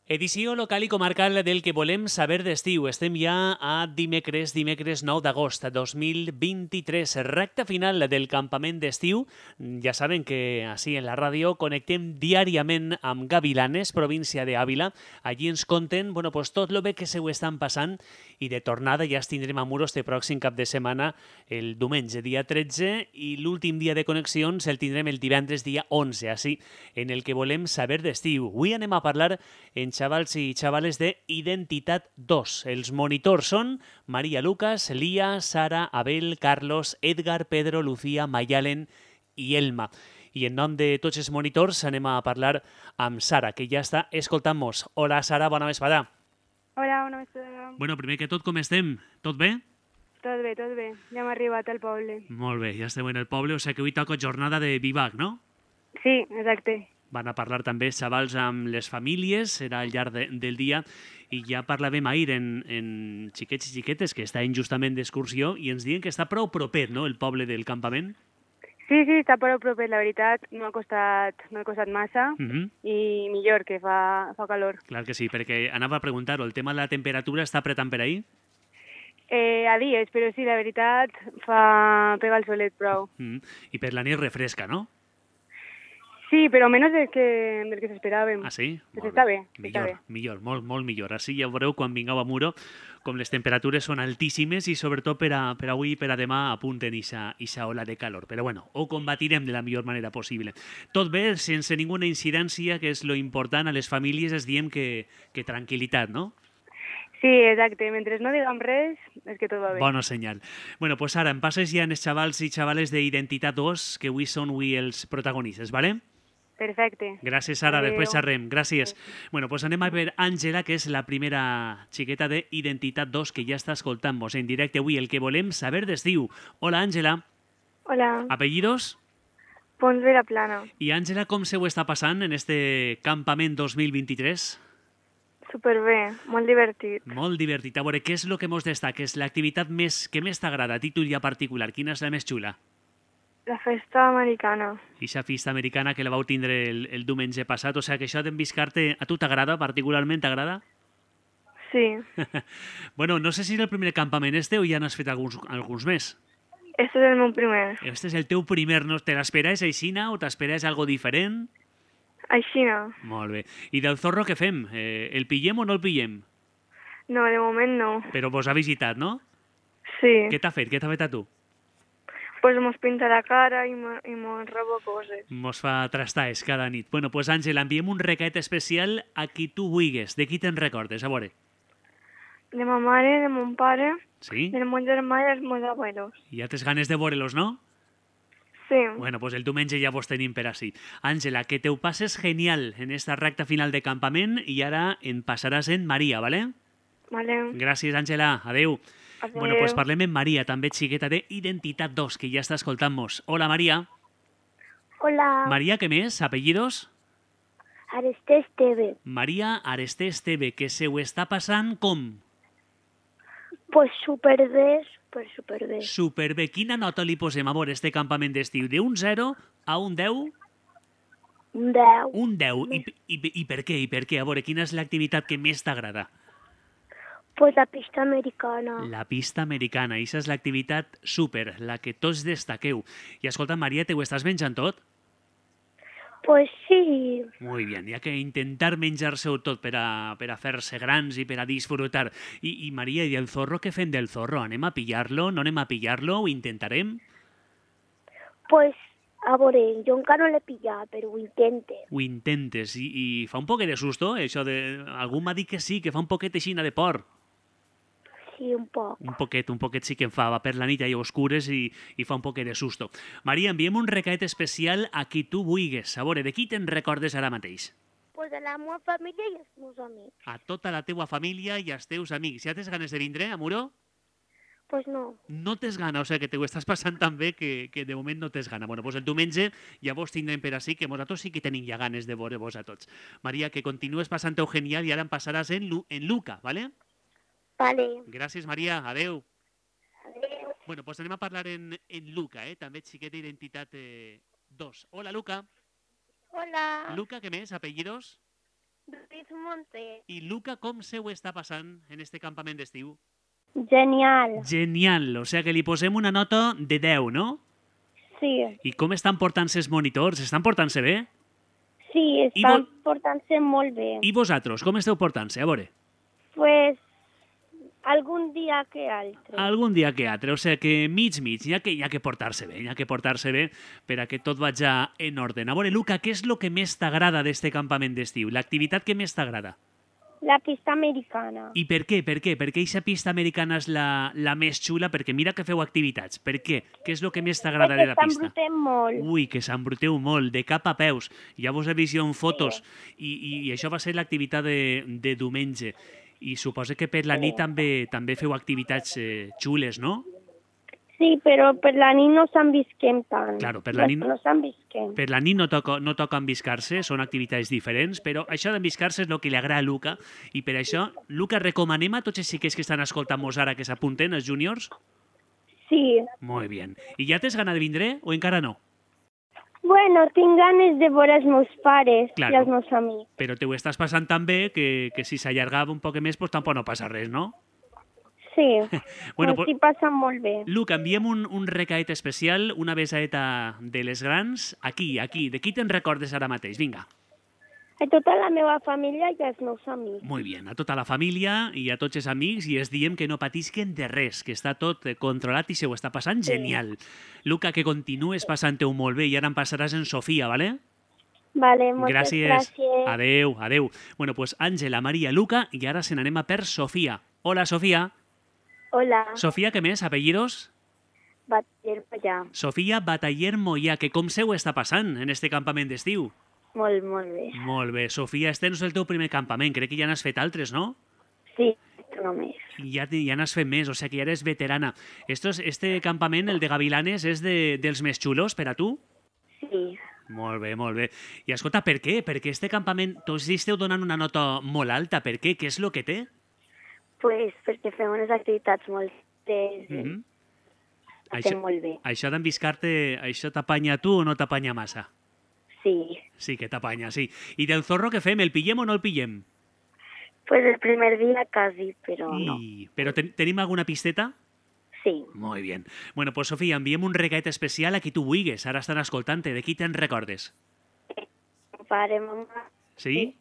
Edició local i comarcal del que volem saber d'estiu. Estem ja a dimecres 9 d'agost de 2023, recta final del campament d'estiu. Ja saben que així en la ràdio connectem diàriament amb Gavilanes, província d'Àvila. Allí ens conten tot el bé que se ho estan passant i de tornada ja es tindrem a Muro este pròxim cap de setmana, el diumenge, dia 13, i l'últim dia de connexions el tindrem el divendres, dia 11, així en el que volem saber d'estiu. Avui anem a parlar en xavals i xavales de Identitat 2. Els monitors són Maria Lucas, Lía, Sara, Abel, Carlos, Edgar, Pedro, Lucía, Mayalen i Elma. I en nom de tots els monitors anem a parlar amb Sara, que ja està escoltant-nos. Hola, Sara, bona vesprada. Hola, bona vesprada. Bueno, primer que tot, com estem? Tot bé? Tot bé, tot bé. Ja hem arribat al poble. Molt bé, ja estem en el poble, o sigui que avui toca jornada de vivac, no? Sí, exacte. Van a parlar també xavals amb les famílies, serà al llarg del dia, i ja parlàvem ahir en xiquets i xiquetes que estaven justament d'excursió i ens diuen que està prou propet, no?, el poble del campament. Sí, està prou propet, la veritat. No ha costat massa i millor, que fa calor. Clar que sí, perquè anava a preguntar-ho, el tema de la temperatura està apretant per ahir? A dies, però sí, la veritat, pega el solet prou. I per la nit refresca, no? Sí, però menys del que s'esperàvem. Ah, sí? Però està bé. Millor, molt millor. Així ja veureu quan vingueu a Muro com les temperatures són altíssimes i sobretot per avui i per a demà apunten ixa ola de calor. Però bueno, ho combatirem de la millor manera possible. Tot bé, sense ninguna incidència, que és lo important a les famílies, es diem que tranquil·litat, no? Sí, exacte. Mentre no diguem res, és que tot va bé. Bona senyal. Bueno, pues ara em passes ja en els xavals i xavales d'Identitat 2, que avui són els protagonistes, ¿vale? Perfecte. Gràcies, Sara. Adeu. Després xerrem. Gràcies. Bueno, pues anem a veure Àngela, que és la primera xiqueta d'Identitat 2 que ja està escoltant-nos en directe avui, el que volem saber d'estiu. Hola, Àngela. Hola. Apellidos? Pons de la Plana. I Àngela, com se ho està passant en este campament 2023? Superbé, molt divertit. Molt divertit. A veure, què és el que mos destaca? És l'activitat que més t'agrada, a títol ja particular? Quina és la més xula? La festa americana. Ixa festa americana que la vau tindre el diumenge passat, o sigui que això d'enviscar-te, a tu t'agrada, particularment t'agrada? Sí. Bueno, no sé si és el primer campament o ja n'has fet alguns més. Este és el meu primer. Este és el teu primer, no? Te l'esperaves aixina o t'esperaves algo diferent? Aixina. Molt bé. I del zorro què fem? El pillem o no el pillem? No, de moment no. Però vos ha visitat, no? Sí. Què t'ha fet? Què t'ha fet a tu? Pues mos pinta la cara i mos roba coses. Mos fa trastaes cada nit. Bueno, pues Àngela, enviem un recat especial a qui tu vulguis. De qui te'n recordes? A veure. De ma mare, de mon pare, Sí? de mon germà i dels meus abuelos. I ja tens ganes de veure-los, no? Sí. Bueno, pues el diumenge ja vos tenim per així. Àngela, que te ho passes genial en esta recta final de campament i ara en passaràs en Maria, ¿vale? Vale. Gràcies, Àngela. Adeu. Adeu. Bueno, pues parlem amb Maria, també xiqueta d'Identitat 2, que ja està escoltant-nos. Hola, Maria. Hola, Maria, què més? Apellidos? Aresté Esteve. Maria Aresté Esteve, que se ho està passant com? Pues superbé, superbé. Superbé. Quina nota li posem a veure este campament d'estiu? De un 0 a un 10? Un 10. Un 10. I per què? I per què? A veure, quina és l'activitat que més t'agrada? Pues la pista americana. La pista americana. Ixa és l'activitat súper, la que tots destaqueu. I escolta, Maria, te ho estàs menjant tot? Pues sí. Muy bien, hi ha que intentar menjar-se-ho tot per a fer-se grans i per a disfrutar. I Maria, i el zorro, què fem del zorro? Anem a pillar-lo? No anem a pillar-lo? Ho intentarem? Pues, a veure, jo encara no l'he pillat, però ho intente. Ho intentes. I fa un poquet de susto, això de... Algú m'ha dit que sí, que fa un poquet així de por. Sí, un poc. Un poquet sí que em fa. Va per la nit i oscures i fa un poquet de susto. Maria, enviem un recat especial a qui tu vulguis. A veure, de qui te'n recordes ara mateix? Pues de la meva família i els meus amics. A tota la teua família i als teus amics. Ja tens ganes de vindre, a Muro? Pues no. No tens gana, o sigui que te ho estàs passant tan bé que de moment no tens gana. Bueno, doncs el diumenge ja vos tindrem per així, que nosaltres sí que tenim ja ganes de veure-vos a tots. Maria, que continues passant-ho genial i ara em passaràs en Luca, ¿vale? Vale. Gràcies, Maria. Adeu. Adéu. Bueno, doncs anem a parlar en Luca, també xiquet d'Identitat 2. Hola, Luca. Hola. Luca, què més? Apellidos? Lluís Monter. I Luca, com se ho està passant en este campament d'estiu? Genial. Genial, o sigui que li posem una nota de 10, no? Sí. I com estan portant-se els monitors? Estan portant-se bé? Sí, estan portant-se molt bé. I vosaltres, com esteu portant-se? A veure. Pues algun dia que altre. Algun dia que altre, o sigui que mig, hi ha que portar-se bé, per a que tot vagi en ordre. A veure, Luca, què és el que més t'agrada d'este campament d'estiu? L'activitat que més t'agrada? La pista americana. I per què? Per què aquesta pista americana és la més xula? Perquè mira que feu activitats. Per què? Què és el que més t'agrada de la pista? Perquè s'embruteu molt. Ui, que s'embruteu molt, de cap a peus. Ja vos he vist jo en fotos. Sí. I això va ser l'activitat de diumenge. I suposo que per la nit també feu activitats xules, no? Sí, però per la nit no s'envisquem tant. Claro, per la nit no s'envisquem. Per la nit no toca enviscar-se, són activitats diferents, però això d'enviscar-se és el que li agrada a Luca, i per això, Luca, recomanem a tots els xiquets que estan escoltant-nos ara que s'apunten, els júniors? Sí. Molt bé. I ja tens gana de vindre o encara no? Bueno, tinc ganes de veure els meus pares i els meus amics. Però te ho estàs passant tan bé que si s'allargava un poc més, pues tampoc no passa res, no? Sí, bueno, s'hi passa molt bé. Luca, enviem un recaet especial, una besaeta de les grans, aquí. De qui te'n recordes ara mateix? Vinga. A tota la meva família i als meus amics. Molt bé, a tota la família i a tots els amics, i els diem que no patisquen de res, que està tot controlat i se ho està passant genial. Luca, que continues passant-ho molt bé, i ara em passaràs en Sofia, ¿vale? Vale, moltes gràcies. Adeu. Bueno, pues Àngela, Maria, Luca, i ara se n'anem a per Sofia. Hola, Sofia. Hola. Sofia, què més? Apellidos? Bataller Mollà. Sofia Bataller Mollà, que com se ho està passant en este campament d'estiu? Molt bé. Molt bé. Sofia, este no és el teu primer campament, crec que ja n'has fet altres, no? Sí, només. Ja n'has fet més, o sigui que ja eres veterana. Este campament, el de Gavilanes, és dels més xulos per a tu? Sí. Molt bé. I escolta, per què? Perquè este campament, tots esteu donant una nota molt alta. Per què? Què és el que té? Pues perquè fem unes activitats molt estem molt bé. Això d'enviscar-te, això t'apanya a tu o no t'apanya massa? Sí. Sí que t'apanya, sí. I del zorro què fem? El pillem o no el pillem? Pues el primer dia quasi, però no. Però tenim alguna pisteta? Sí. Molt bé. Bueno, pues Sofia, enviem un regalet especial a qui tu vulguis. Ara estan escoltant-te. De qui te'n recordes? Pare, mamà. Sí?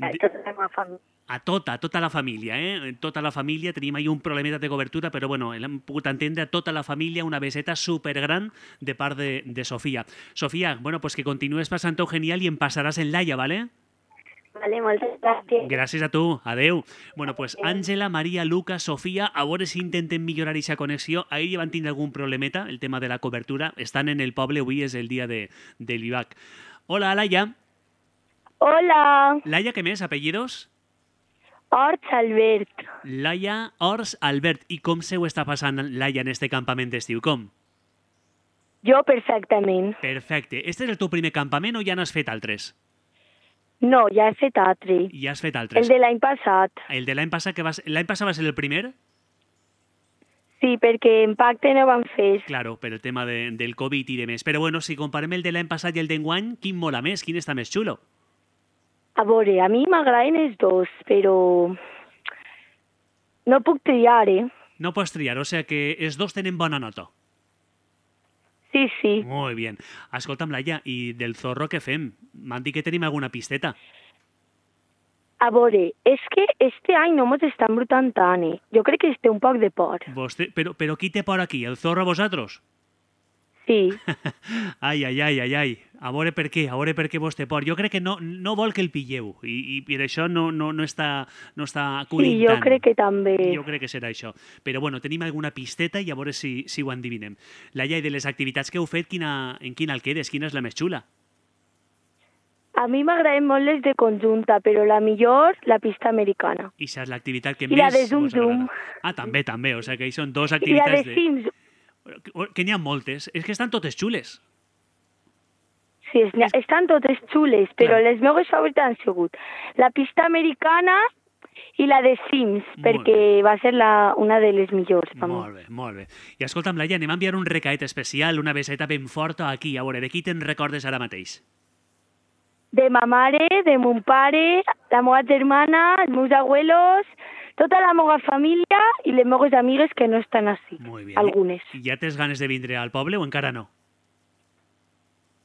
A tota la meva família. A tota la família, eh? Tota la família. Tenim ahí un problemeta de cobertura, però bueno, hem pogut entendre a tota la família una beseta supergran de part de Sofia. Sofia, bueno, pues que continues passant-ho genial i em passaràs en Laia, ¿vale? Vale, moltes gràcies. Gràcies a tu. Adeu. Bueno, pues Àngela, Maria, Luca, Sofia, a veure si intenten millorar aquesta connexió. Ahir ja van tindre algun problemeta, el tema de la cobertura. Estan en el poble, avui és el dia de l'IVAC. Hola, Laia. Hola. Laia, què més? Apellidos? Ors Albert. Laia Ors Albert. I com se ho està passant, Laia, en este campament d'estiu? Com? Jo perfectament. Perfecte. Este és el teu primer campament o ja n'has fet altres? No, ja he fet altre. Ja has fet altres. El de l'any passat. El de l'any passat, l'any passat va ser el primer? Sí, perquè en pacte no van fer. Claro, per el tema del Covid i de més. Però bueno, si comparem el de l'any passat i el d'enguany, quin mola més? Quin està més xulo? A veure, a mi m'agraden els dos, però no puc triar, No pots triar, o sigui que els dos tenen bona nota. Sí, sí. Molt bé. Escolta'm, Laia, i del zorro què fem? M'han dit que tenim alguna pisteta. A veure, és que este any no mos està embrutant tant, Jo crec que es té un poc de por. Però qui té por aquí? El zorro a vosaltres? Sí. Ai. A veure per què vos té por. Jo crec que no vol que el pilleu i per això no està acudint Sí, jo tant. crec que també. Jo crec que serà això. Però bueno, tenim alguna pisteta i a veure si ho endivinem. Laia, i de les activitats que heu fet, en quina el quedes? Quina és la més xula? A mi m'agraden molt les de conjunta, però la millor, la pista americana. I això és l'activitat que I més la de Zum vos agrada. Zum. Ah, també. O sigui que hi són dos I la activitats de Sims. que n'hi ha moltes. És que estan totes xules. Sí, estan totes xules, però Clar. les meves favorites han sigut la pista americana i la de Sims, perquè va ser una de les millors. Molt bé. I escolta'm, Laia, anem a enviar un recaet especial, una beseta ben forta aquí. A veure, de qui te'n recordes ara mateix? de ma mare, de mon pare, la meva germana, els meus abuelos, tota la meva família i les meves amigues que no estan així, algunes. I ja tens ganes de vindre al poble o encara no?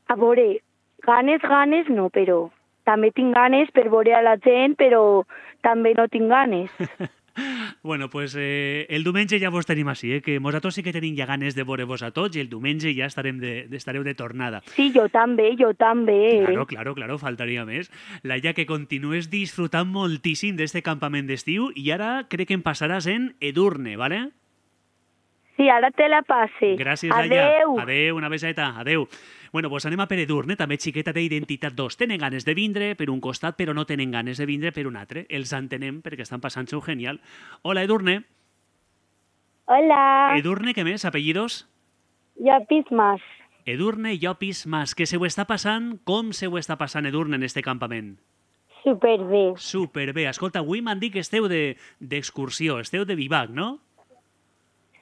A veure, ganes no, però també tinc ganes per veure a la gent, però també no tinc ganes. Bueno, pues el diumenge ja vos tenim així, que nosaltres sí que tenim ja ganes de veure-vos a tots i el diumenge ja estareu de tornada. Sí, jo també. Claro, faltaria més. Laia, que continues disfrutant moltíssim d'este campament d'estiu i ara crec que em passaràs en Edurne, ¿vale? Sí, ara te la passe. Gràcies, Laia. Adeu, una beseta. Adeu. Bueno, pues anem a per Edurne, també xiqueta d'Identitat 2. Tenen ganes de vindre per un costat, però no tenen ganes de vindre per un altre. Els entenem perquè estan passant-s'ho genial. Hola, Edurne. Hola. Edurne, què més? Apellidos? Llopis Mas. Edurne Llopis Mas. Què se ho està passant? Com se ho està passant, Edurne, en este campament? Superbé. Superbé. Escolta, avui m'han dit que esteu d'excursió, esteu de vivac, no?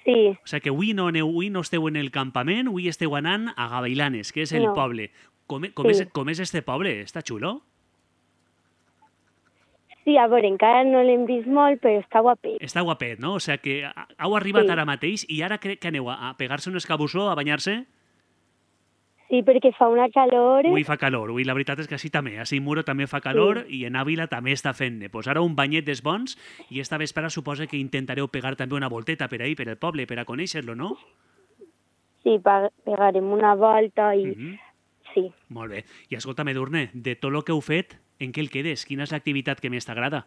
Sí. O sigui que avui no esteu en el campament, avui esteu anant a Gavailanes, que és el poble. Com és este poble? Està xulo? Sí, a veure, encara no l'hem vist molt, però està guapet. Està guapet, no? O sigui que heu arribat ara mateix i ara crec que aneu a pegar-se un escabussó, a banyar-se? Sí, perquè fa una calor. Avui fa calor, avui la veritat és que així també. A Muro també fa calor i en Àvila també està fent-ne. Pues ara un banyet dels bons i esta vespre suposa que intentareu pegar també una volteta per ahí, per el poble, per a conèixer-lo, no? Sí, pegarem una volta i... Sí. Molt bé. I escolta'm, Edurne, de tot el que heu fet, en què el quedes? Quina és l'activitat que més t'agrada?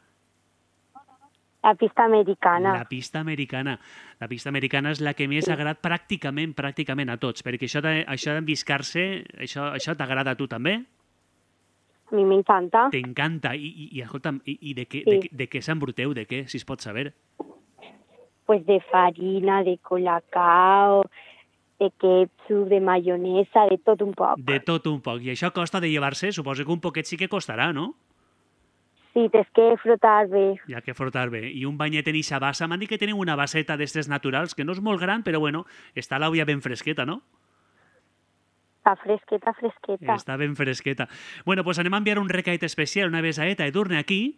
La pista americana. La pista americana. La pista americana és la que més agrada pràcticament a tots, perquè això d'enviscar-se, això t'agrada a tu també? A mi m'encanta. T'encanta. I escolta'm, de què s'embruteu? De què, si es pot saber? Pues de farina, de colacao, de ketchup, de maionesa, de tot un poc. De tot un poc. I això costa de llevar-se? Suposo que un poquet sí que costarà, no? Sí, tens que frotar bé. Hi ha que frotar bé. I un banyet en ixa bassa. M'han dit que teniu una basseta d'estes naturals, que no és molt gran, però bueno, està l'olla ben fresqueta, no? Està fresqueta. Està ben fresqueta. Bueno, pues anem a enviar un recaet especial, una besaeta, Edurne, aquí.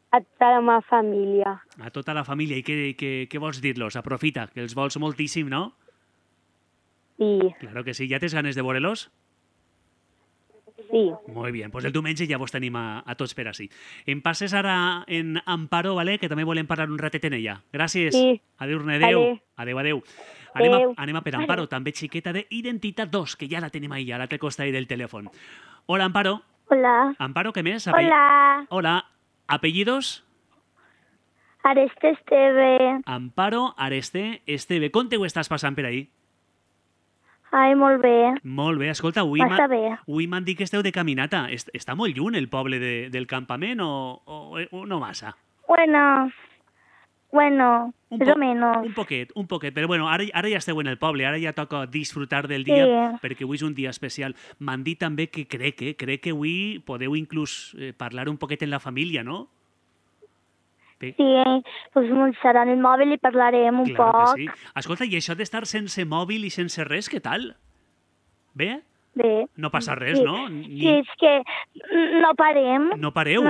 A tota la meva família. A tota la família. I què vols dir-los? Aprofita, que els vols moltíssim, no? Sí. Claro que sí. Ja tens ganes de veure-los? Sí. Molt bé, doncs el diumenge ja vos tenim a tots per ací. Em passes ara en Amparo, ¿vale? Que també volem parlar un ratet en ella. Gràcies. Sí. Adéu-ne, adéu. Anem a per Amparo, també xiqueta d'Identitat 2, que ja la tenim ahí, a l'altre costat del telèfon. Hola, Amparo. Hola. Amparo, què més? Hola. Hola. ¿Apellidos? Areste Esteve. Amparo Areste Esteve. Com te ho estàs passant per ahí? Ai, molt bé. Molt bé. Escolta, avui m'han dit que esteu de caminata. Està molt lluny el poble del campament o no massa? Bueno, més o menos. Un poquet. Però bueno, ara ja esteu en el poble, ara ja toca disfrutar del dia, perquè avui és un dia especial. M'han dit també que crec que avui podeu inclús parlar un poquet en la família, no? Sí, doncs muntaran el mòbil i parlarem un poc. Claro que sí. Escolta, i això d'estar sense mòbil i sense res, què tal? Bé? Bé. No passa res, no? Sí, és que no parem. No pareu,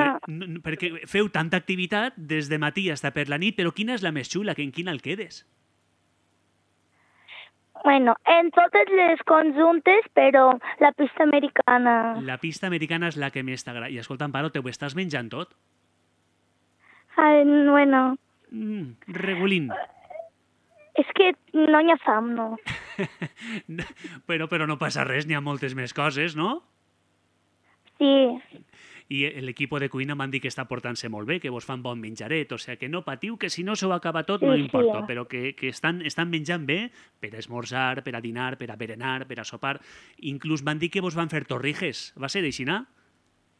perquè feu tanta activitat des de matí fins per la nit, però quina és la més xula? En quina el quedes? Bueno, en totes les conjuntes, però la pista americana. La pista americana és la que més t'agrada. I escolta, Amparo, te ho estàs menjant tot? Ai, bueno. Regulín. És que no hi ha fam, no. però no passa res, n'hi ha moltes més coses, no? Sí. I l'equip de cuina m'han dit que està portant-se molt bé, que vos fan bon menjaret, o sigui que no patiu, que si no s'ho acaba tot no importa, però que estan menjant bé per a esmorzar, per a dinar, per a berenar, per a sopar. Inclús m'han dit que vos van fer torrijes. Va ser així, no?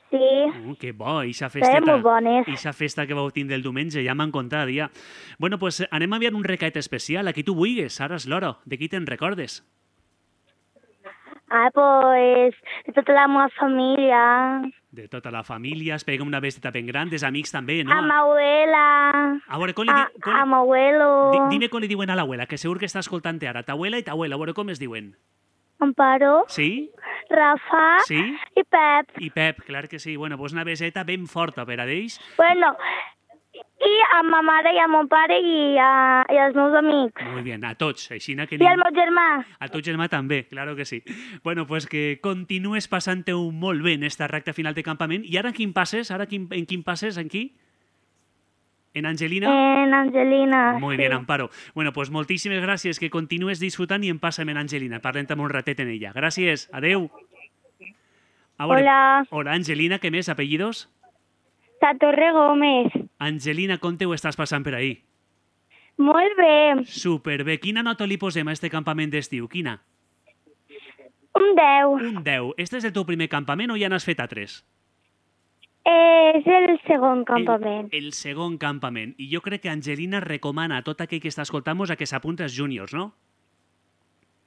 Sí. Que bo, eixa festeta. Molt bones. Eixa festa que vau tindre el diumenge, ja m'han contat, ja. Bueno, pues anem a enviar un recaet especial. A qui tu vulguis, ara és l'hora. De qui te'n recordes? Pues de tota la meva família. De tota la família, espera una besteta ben gran, dels amics també, no? A ma abuela. A veure, a ma abuelo. Dime com li diuen a l'abuela, que segur que està escoltant ara. T'abuela i t'abuela, a veure com es diuen. Amparo. Sí? Rafa i Pep. I Pep, clar que sí. Bueno, doncs una beseta ben forta per a ells. Bueno, i a ma mare i a mon pare i als meus amics. Molt bé, a tots. Així que I al meu germà. A tu germà també, claro que sí. Bueno, pues que continues passant-ho molt bé en esta recta final de campament. I ara en quin passes? En quin passes? En qui? ¿En Angelina? En Angelina, Muy bien, Amparo. Bueno, pues moltíssimes gràcies, que continues disfrutant i en passa'm en Angelina. Parlem un ratet en ella. Gràcies, adeu. Hola. Hola, Angelina, què més? Apellidos? La Torre Gómez. Angelina, com te ho estàs passant per ahí? Molt bé. Superbé. Quina nota li posem a este campament d'estiu? Quina? Un 10. Un 10. Este és el teu primer campament o ja n'has fet altres? És el segon campament. El segon campament. I jo crec que Angelina recomana a tot aquell que està escoltant-nos a que s'apunti als júniors, no?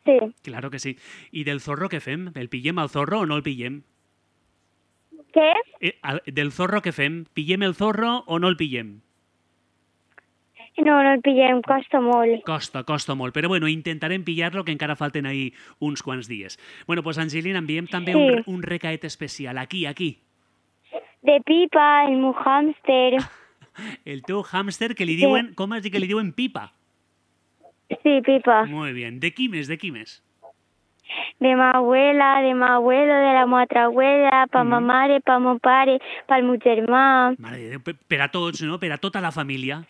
Sí. Claro que sí. I del zorro què fem? El pillem al zorro o no el pillem? Què? Del zorro què fem? Pillem el zorro o no el pillem? No el pillem, costa molt. Costa molt, però bueno, intentarem pillar-lo, que encara falten ahí uns quants dies. Bueno, pues Angelina, enviem també un recaet especial. Aquí. De Pipa, el meu hàmster. El teu hàmster que li diuen... Com has dit que li diuen Pipa? Sí, Pipa. Muy bien. De qui més? De ma abuela, de ma abuelo, de la meva altra abuela, pa ma mare, pa mon pare, pel meu germà. Mare de Déu, per a tots, no? Per a tota la família.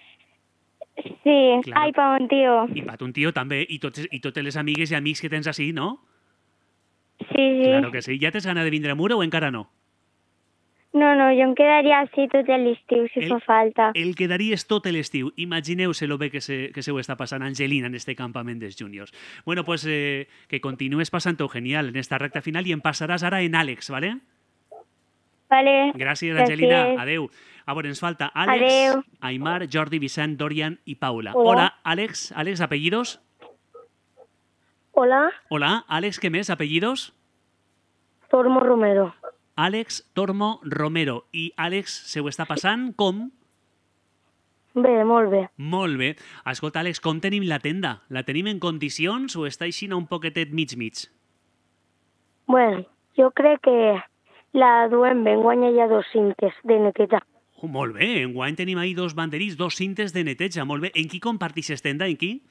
Sí, claro. Ai, pa mon tio. I pa ton tio també, i totes les amigues i amics que tens així, no? Sí. Claro que sí. Ja tens gana de vindre a Mura o encara no? No, jo em quedaria així tot l'estiu, si fa falta. El quedaries tot l'estiu. Imagineu-se lo bé que se ho està passant Angelina en este campament dels júniors. Bueno, pues que continues passant-ho genial en esta recta final i em passaràs ara en Àlex, ¿vale? Vale. Gràcies, Angelina. Adeu. A veure, ens falta Àlex, Aimar, Jordi, Vicent, Dorian i Paula. Hola, Àlex. Àlex, apellidos? Hola. Hola, Àlex, què més? Apellidos? Tormo Romero. Àlex Tormo Romero. I Àlex se ho està passant com? Bé, molt bé. Molt bé. Escolta, Àlex, com tenim la tenda? La tenim en condicions o està així un poquetet mig? Bueno, jo crec que la duem bé. Enguany hi ha 2 cintes de neteja. Molt bé. Enguany tenim ahí 2 banderís, 2 cintes de neteja. Molt bé. En qui compartixes tenda? En qui?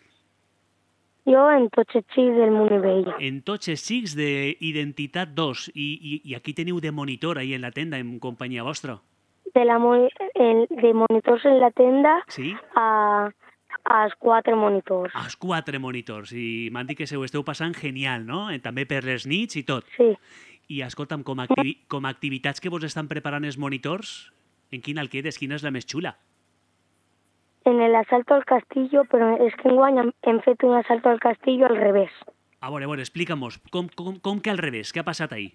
Jo en tots els xics del Monivell. En tots els xics d'Identitat 2. I aquí teniu de monitor ahí en la tenda, en companyia vostra? De monitors en la tenda, sí? als 4 monitors. Als 4 monitors. I m'han dit que se ho esteu passant genial, no? També per les nits i tot. Sí. I escolta'm, com a activitats que vos estan preparant els monitors, en quina el quedes? Quina és la més xula? En el asalto al castillo, però és que enguany hem fet un asalto al castillo al revés. A veure, explica-mos, com que al revés? Què ha passat ahí?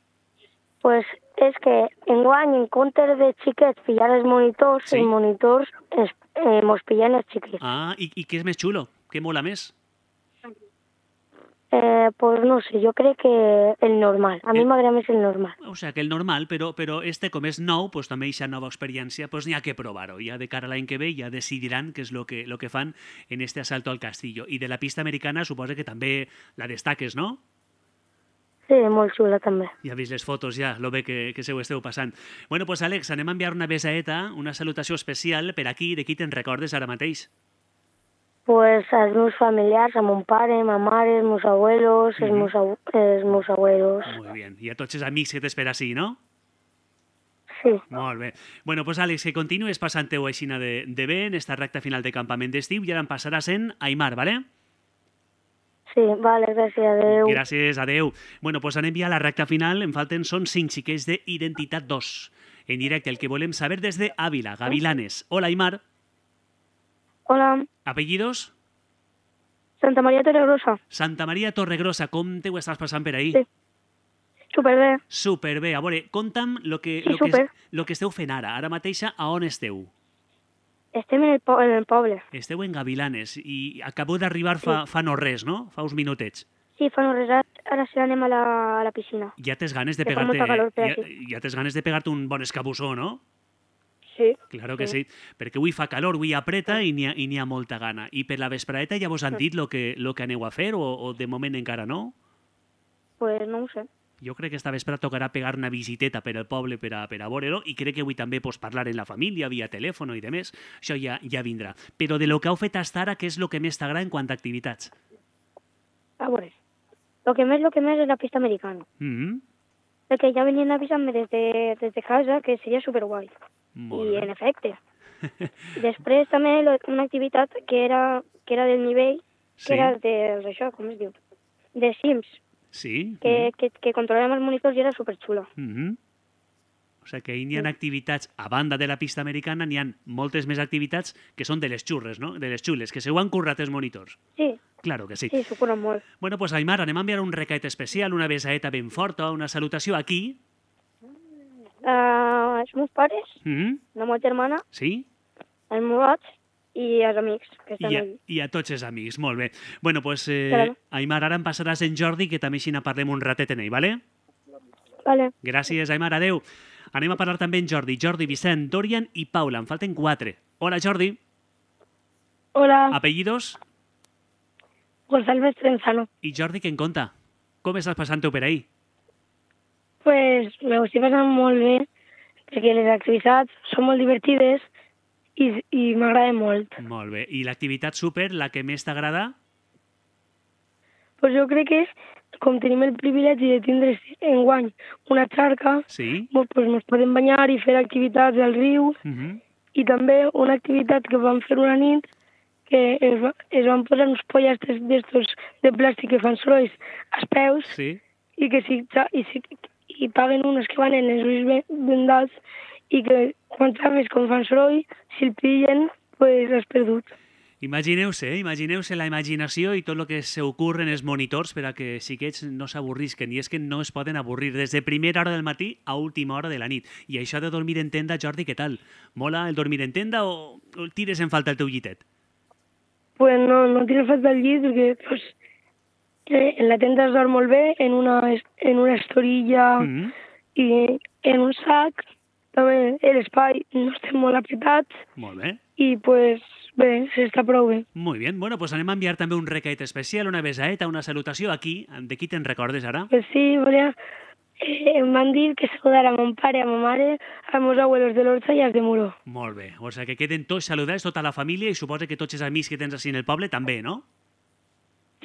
Pues és que enguany, en comptes de xiquets pillar els monitors, els monitors mos pillen els xiquets. Ah, i què és més xulo? Què mola més? Pues no sé, jo crec que el normal. A mi m'agrada més el normal. O sea, que el normal, però com és nou, pues també aquesta nova experiència, pues n'hi ha que provar-ho. Ja de cara a l'any que ve ja decidiran què és lo que fan en este asalto al castillo. I de la pista americana suposa que també la destaques, no? Sí, molt xula també. Ja has vist les fotos ja, lo bé que se ho esteu passant. Bueno, pues Àlex, anem a enviar una besaeta, una salutació especial per aquí, de qui te'n recordes ara mateix? Pues als meus familiars, a mon pare, ma mare, els meus abuelos, els meus abuelos. Molt bé. I a tots els amics que t'espera així, no? Sí. Molt bé. Bueno, pues Àlex, que continues passant-ho així de bé en esta recta final de campament d'estiu i ara em passaràs en Aimar, ¿vale? Sí, vale, gràcies, adeu. Gràcies, adeu. Bueno, pues anem ja a la recta final. Em falten, són 5 xiquets d'Identitat 2. En directe, el que volem saber des de Ávila, Gavilanes. Hola, Aimar. Hola. ¿Apellidos? Santa Maria Torregrosa. Santa Maria Torregrosa. Com te ho estàs passant per ahí? Sí. Superbé. Superbé. A veure, conta'm lo que esteu fent ara. Ara mateixa, a on esteu? Estem en el poble. Esteu en Gavilanes i acabeu d'arribar fa no res, no? Fa uns minutets. Sí, fa no res. Ara sí anem a la piscina. Ja tens ganes de pegar-te... Ja tens ganes de pegar-te un bon escabussó, no? Sí. Claro que sí, perquè avui fa calor, avui apreta i n'hi ha molta gana. I per la vesprada ja vos han dit lo que aneu a fer o de moment encara no? Pues no ho sé. Jo crec que esta vespre tocarà pegar una visiteta per al poble per a veure-lo i crec que avui també parlar en la família, via telèfon i demés. Això ja vindrà. Però de lo que heu fet hasta ara, què és el que més t'agrada en quant a activitats? A veure, lo que més és la pista americana. Perquè ja venien avisant-me des de casa que seria superguai. I en efecte. Després també una activitat que era del nivell, que era d'això, com es diu? De Sims. Sí. Que controlàvem els monitors i era superxula. O sigui que hi ha activitats, a banda de la pista americana, n'hi ha moltes més activitats que són de les xurres, no? De les xules, que se ho han currat els monitors. Sí. Claro que sí. Sí, s'ho curen molt. Bueno, pues Aimar, anem a enviar un recat especial, una besaeta ben forta, una salutació aquí. Els meus pares, la meva germana, els meus i els amics que estan allà. I a tots els amics, molt bé. Bueno, pues, Aimar, ara em passaràs en Jordi, que també així parlem un ratet en ell, vale? Vale. Gràcies, Aimar, adeu. Anem a parlar també en Jordi, Vicent, Dorian i Paula. En falten 4. Hola, Jordi. Hola. Apellidos? González Trenzano. I Jordi, què en conta? Com estàs passant-ho per ahí? Pues me ho estic passant molt bé, perquè les activitats són molt divertides i m'agraden molt. Molt bé. I l'activitat súper, la que més t'agrada? Pues jo crec que com tenim el privilegi de tindre enguany una xarca, pues ens podem banyar i fer activitats al riu, i també una activitat que vam fer una nit que es van posar uns pollastres d'estos de plàstic que fan sorolls als peus i que i paguen unes que van en els ulls vendats i que quan sabes com fan soroll, si el pillen, pues has perdut. Imagineu-se la imaginació i tot el que s'ocorre en els monitors per a que xiquets no s'avorrisquen, i és que no es poden avorrir des de primera hora del matí a última hora de la nit. I això de dormir en tenda, Jordi, què tal? Mola el dormir en tenda o tires en falta el teu llitet? Pues no tira falta el llit, perquè pues, en la tenda es dorm molt bé, en una estorilla i en un sac. També l'espai no estem molt apretats. Molt bé. I pues bé, s'està prou bé. Molt bé. Bueno, pues anem a enviar també un recat especial, una besaeta, una salutació aquí. De qui te'n recordes ara? Pues sí, volia... em van dir que saludar a mon pare, a ma mare, als meus abuelos de l'Orxa i als de Muro. Molt bé. O sigui que queden tots saludats, tota la família, i suposa que tots els amics que tens així en el poble també, no?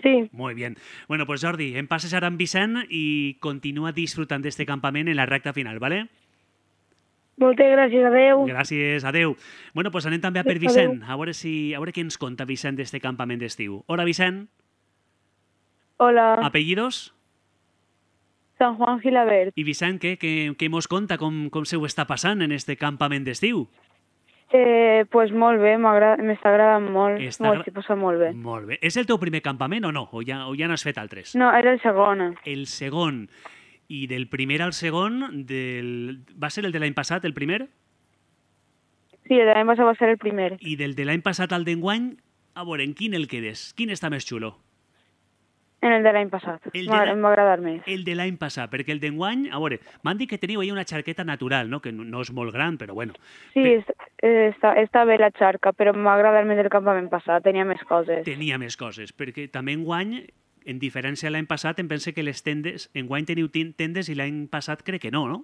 Sí. Muy bien. Bueno, pues Jordi, en passes ara amb Vicent i continua disfrutant d'este campament en la recta final, ¿vale? Moltes gràcies, adeu. Gràcies, adeu. Bueno, pues anem també a per Vicent, a veure què ens conta Vicent d'este campament d'estiu. Hola, Vicent. Hola. Apellidos? San Juan Gilabert. I Vicent, què mos conta? Com se ho està passant en este campament d'estiu? Pues molt bé, m'està agradant molt. S'hi posa molt bé. Molt bé. És el teu primer campament o no? O ja n'has fet altres? No, era el segon. El segon. I del primer al segon, va ser el de l'any passat, el primer? Sí, el de l'any passat va ser el primer. I del de l'any passat al d'enguany, a veure, en quin el quedes? Quin està més xulo? En el de l'any passat. Em va agradar més. El de l'any passat, perquè el d'enguany, a veure, m'han dit que teniu ahí una xarqueta natural, no? Que no és molt gran, però bueno. Sí, està bé la xarca, però m'ha agradat més el campament passat, tenia més coses. Tenia més coses, perquè també enguany, en diferència de l'any passat, em pense que les tendes, enguany teniu tendes i l'any passat crec que no, no?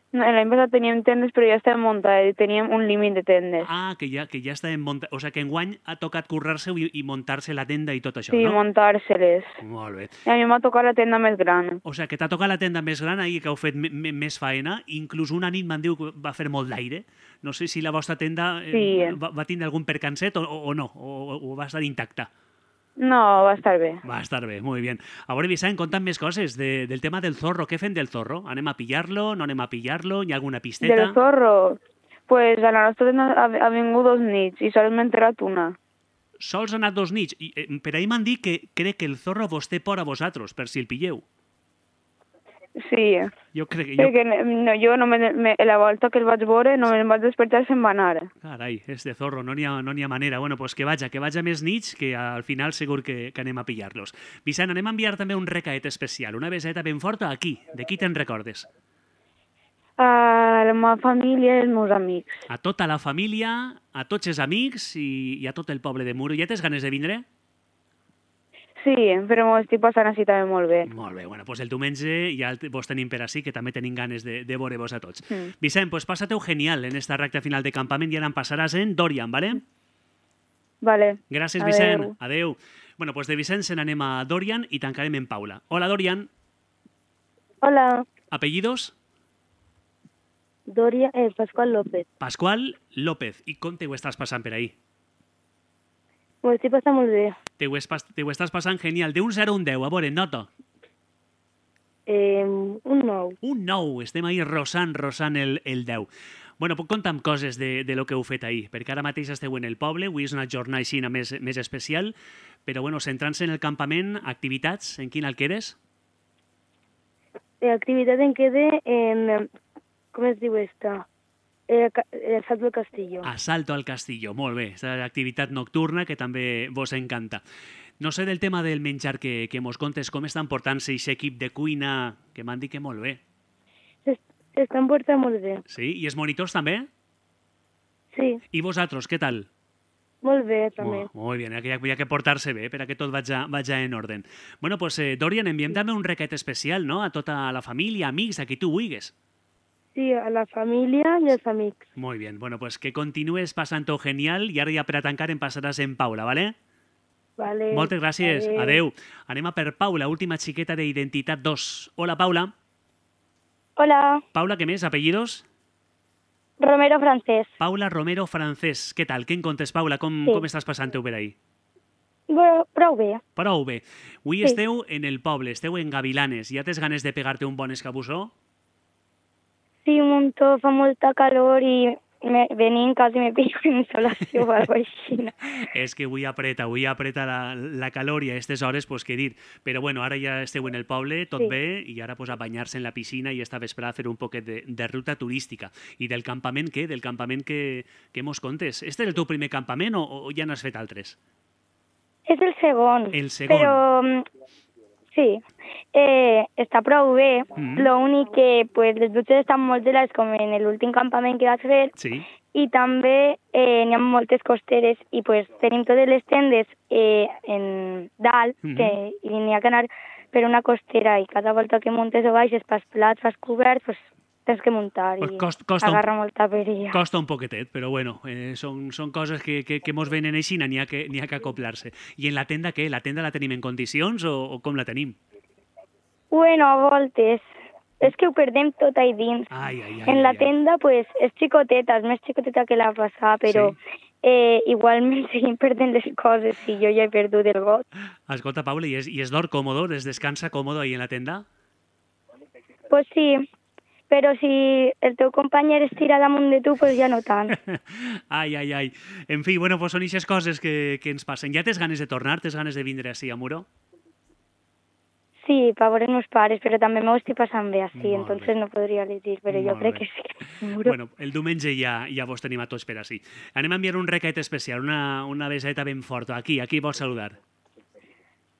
No, l'any passat teníem tendes, però ja estàvem muntades, teníem un límit de tendes. Ah, que ja estàvem muntades. O sigui que enguany ha tocat currar-se i muntar-se la tenda i tot això, sí, no? Sí, muntar-se-les. Molt bé. I a mi m'ha tocat la tenda més gran. O sigui que t'ha tocat la tenda més gran i que heu fet més faena. Inclús una nit m'han dit que va fer molt d'aire. No sé si la vostra tenda va tindre algun percanset o no, o va estar intacta. No, va estar bé. Va estar bé, muy bien. A veure, Vicent, conta'm més coses del tema del zorro. Què fem del zorro? Anem a pillar-lo? No anem a pillar-lo? Hi ha alguna pisteta? Del zorro? Pues a la nostra tenda ha vingut 2 nits i sols m'he enterrat una. Sols ha anat 2 nits? Per ahir m'han dit que crec que el zorro vos té por a vosaltres, per si el pilleu. Sí. Jo crec que... Jo la volta que el vaig veure no em vaig despertar se'n va anar. Carai, de zorro, no n'hi ha manera. Bueno, pues que vaja més nits, que al final segur que anem a pillar-los. Vicent, anem a enviar també un recaet especial, una beseta ben forta aquí. De qui te'n recordes? A la meva família i els meus amics. A tota la família, a tots els amics i a tot el poble de Muro. Ja tens ganes de vindre? Sí, però m'ho estic passant així també molt bé. Molt bé, bueno, doncs el diumenge ja vos tenim per així, que també tenim ganes de veure-vos a tots. Vicent, pues passa-te-ho genial en esta recta final de campament i ara em passaràs en Dorian, ¿vale? Vale. Gràcies, Vicent. Adeu. Bueno, pues de Vicent se n'anem a Dorian i tancarem en Paula. Hola, Dorian. Hola. Apellidos? Pascual López. Pascual López. I com te ho estàs passant per ahí? M'ho estic passant molt bé. Te ho estàs passant genial. De un 0 a un 10, a veure, nota. Un 9. Un 9. Estem ahí rosant el 10. Bueno, puc contar amb coses de lo que heu fet ahir, perquè ara mateix esteu en el poble, avui és una jornada així més especial, però bueno, centrant-se en el campament, activitats, en quina el quedes? Activitat en quede en... Com es diu esta? Asalto al Castillo. Asalto al Castillo, molt bé. És activitat nocturna que també vos encanta. No sé del tema del menjar que mos contes, com estan portant-se aquest equip de cuina, que m'han dit que molt bé. S'estan portant molt bé. Sí? I els monitors també? Sí. I vosaltres, què tal? Molt bé, també. Molt bé, hi ha que portar-se bé per a que tot vagi en ordre. Bueno, pues, Dorian, enviem també un requet especial, no?, a tota la família, amics, a qui tu vulguis. Sí, a la família i als amics. Molt bé, bueno, pues que continues passant-ho genial i ara ja per a tancar em passaràs en Paula, ¿vale? Vale. Moltes gràcies. Adeu. Anem a per Paula, última xiqueta d'Identitat 2. Hola, Paula. Hola. Paula, què més? Apellidos? Romero Francés. Paula Romero Francés. Què tal? Què en contes, Paula? Com estàs passant-ho per ahí? Bueno, prou bé. Prou bé. Avui esteu en el poble, esteu en Gavilanes. Ja tens ganes de pegar-te un bon escabussó? Sí, un muntó, fa molta calor i venint quasi me pillo en insolació o alguna cosa així. És que avui apreta la calor i a aquestes hores, pues què dir. Però bueno, ara ja esteu en el poble, tot bé, i ara pues a banyar-se en la piscina i esta vesprada fer un poquet de ruta turística. I del campament què? Del campament que mos contes? Este és el teu primer campament o ja n'has fet altres? És el segon. El segon. Però sí, està prou bé. L'únic que pues, les dutxes estan molt gelades com en l'últim campament que vaig fer. Sí. I també n'hi ha moltes costeres i pues, tenim totes les tendes en dalt i n'hi ha que anar per una costera i cada volta que muntes o baixes pels plats, pels coberts, pues, tens que muntar i agarra molta perilla. Costa un poquetet, però bueno, són coses que mos venen així, n'hi ha que acoplar-se. I en la tenda què? La tenda la tenim en condicions o com la tenim? Bueno, a voltes. És que ho perdem tot ahí dins. En la tenda, pues, és xicoteta, és més xicoteta que la passada, però igualment seguim perdent les coses i jo ja he perdut el got. Escolta, Paula, i és d'or còmodo? Es descansa còmodo ahí en la tenda? Pues sí. Però si el teu company es tira damunt de tu, pues ja no tant. Ai. En fi, bueno, pues són aquestes coses que ens passen. Ja tens ganes de tornar? Tens ganes de vindre així a Muro? Sí, per veure els meus pares, però també m'ho estic passant bé així, entonces no podria elegir, però jo crec que sí. Bueno, el diumenge ja vos tenim a tots per així. Anem a enviar un requet especial, una beseta ben forta. Aquí vols saludar?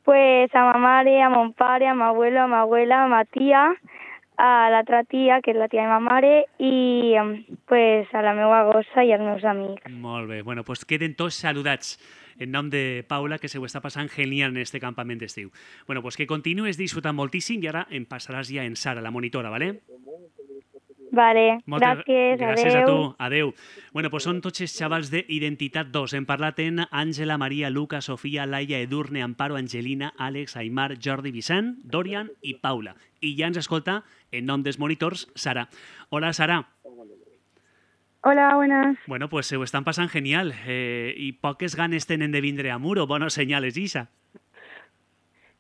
Pues a ma mare, a mon pare, a ma abuelo, a ma abuela, a ma tia, a l'altra tia, que és la tia de ma mare, i pues, a la meva gossa i als meus amics. Molt bé. Bueno, pues queden tots saludats en nom de Paula, que se ho està passant genial en este campament d'estiu. Bueno, pues que continues disfrutant moltíssim i ara em passaràs ja en Sara, la monitora, ¿vale? Vale, gràcies, gràcies a tu, adeu. Bueno, pues són tots els xavals d'Identitat 2. Hem parlat en Àngela, Maria, Luca, Sofia, Laia, Edurne, Amparo, Angelina, Àlex, Aimar, Jordi, Vicent, Dorian i Paula. I ja ens escolta, en nom dels monitors, Sara. Hola, Sara. Hola, buenas. Bueno, pues se ho estan passant genial. I poques ganes tenen de vindre a Muro. Bones senyales, Isa.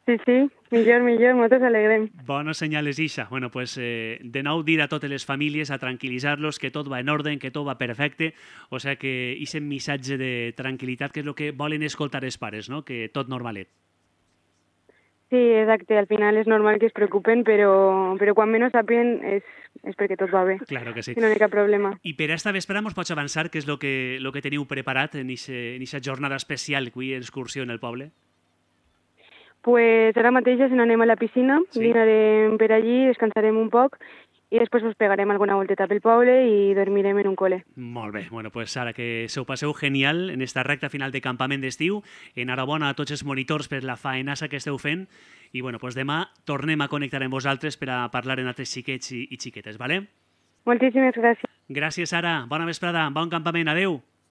Sí, millor, moltes alegrem. Bones senyales, Isa. Bueno, pues de nou dir a totes les famílies, a tranquil·litzar-los, que tot va en ordre, que tot va perfecte. O sea que aquest missatge de tranquil·litat, que és el que volen escoltar els pares, no? Que tot normalet. Sí, exacte. Al final és normal que es preocupen, però quan menys sàpien és perquè tot va bé. Claro que sí. I no hi ha cap problema. I per esta vespre ens pots avançar què és el que teniu preparat en aquesta jornada especial, avui, excursió en el poble? Pues ara mateix ja se n'anem a la piscina, dinarem per allí, descansarem un poc i després us pegarem alguna volteta pel poble i dormirem en un col·le. Molt bé, bueno, pues ara que se ho passeu genial en esta recta final de campament d'estiu, enhorabona a tots els monitors per la faenassa que esteu fent i bueno, pues demà tornem a connectar amb vosaltres per a parlar en altres xiquets i xiquetes, vale? Moltíssimes gràcies. Gràcies, Sara. Bona vesprada. Bon campament. Adeu.